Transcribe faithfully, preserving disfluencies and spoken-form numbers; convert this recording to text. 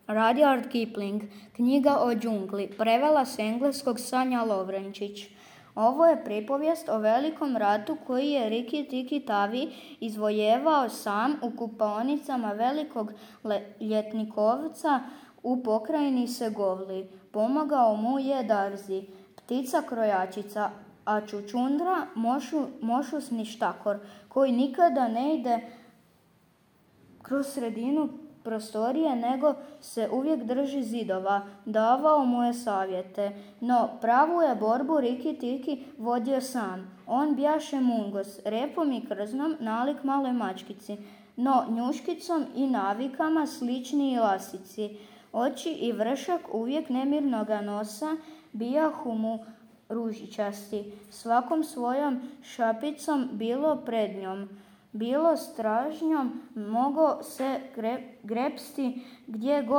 Rudyard Kipling, Knjiga o džungli, prevela s engleskog Sanja Lovrenčić. Ovo je pripovijest o velikom ratu koji je Riki Tiki Tavi izvojevao sam u kupaonicama velikog ljetnikovca u pokrajini Segovli. Pomagao mu je Darzi, ptica krojačica, a Čučundra mošu, mošusni štakor, koji nikada ne ide kroz sredinu prostorije, nego se uvijek drži zidova. Davao mu je savjete, no pravu je borbu Riki Tiki vodio sam. On bjaše Mungos, repom i krznom nalik maloj mačkici, no njuškicom i navikama sličniji lasici. Oči i vršak uvijek nemirnoga nosa bijahu mu ružičasti, svakom svojom šapicom, bilo prednjom, bilo stražnjom, mogo se grepsti gdje god